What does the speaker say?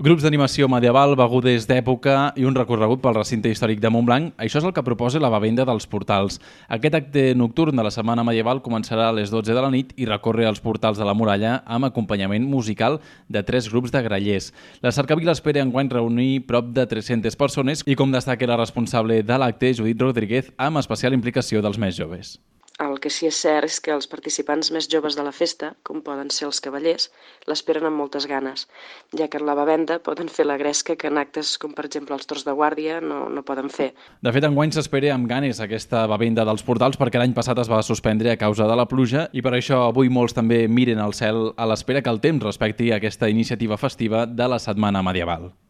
Grups d'animació medieval, begudes d'època i un recorregut pel recinte històric de Montblanc, això és el que proposa la Bevenda dels Portals. Aquest acte nocturn de la Setmana Medieval començarà a les 12 de la nit i recorre els portals de la muralla amb acompanyament musical de 3 grups de grallers. La cercavila espera enguany reunir prop de 300 persones i, com destaca la responsable de l'acte, Judit Rodríguez, amb especial implicació dels més joves. El que sí és cert és que els participants més joves de la festa, com poden ser els cavallers, l'esperen amb moltes ganes, ja que en la bevenda poden fer la gresca que en actes com per exemple els torns de guàrdia no poden fer. De fet, enguany s'espera amb ganes aquesta bevenda dels portals perquè l'any passat es va suspendre a causa de la pluja i per això avui molts també miren al cel a l'espera que el temps respecti aquesta iniciativa festiva de la Setmana Medieval.